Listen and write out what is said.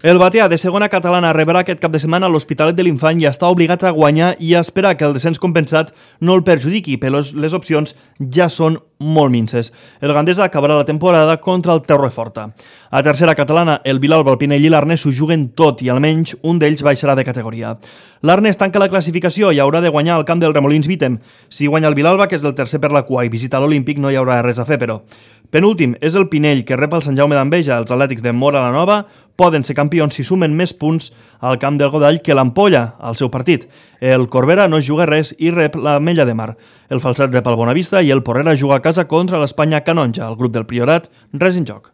El Batea, de segona catalana, rebrà aquest cap de setmana a l'Hospitalet de l'Infant i està obligat a guanyar i a esperar que el descens compensat no el perjudiqui, però les opcions ja són molt minces. El Gandesa acabarà la temporada contra el Torreforta. A tercera catalana, el Vilalba, el Pinell i l'Arnes s'ho juguen tot i almenys un d'ells baixarà de categoria. L'Arnes tanca la classificació i haurà de guanyar al camp del Remolins Vitem. Si guanya el Vilalba, que és el tercer per la cua, i visita l'Olímpic, no hi haurà res a fer, però. Penúltim és el Pinell, que rep el Sant Jaume d'Enveja. Els atlètics de Móra la Nova poden ser campions si sumen més punts al camp del Godall que l'Ampolla al seu partit. El Corbera no juga res i rep l'Ametlla de Mar. El Falset rep el Bonavista i el Porrera juga a casa contra l'Espanya Canonja. El grup del Priorat, res en joc.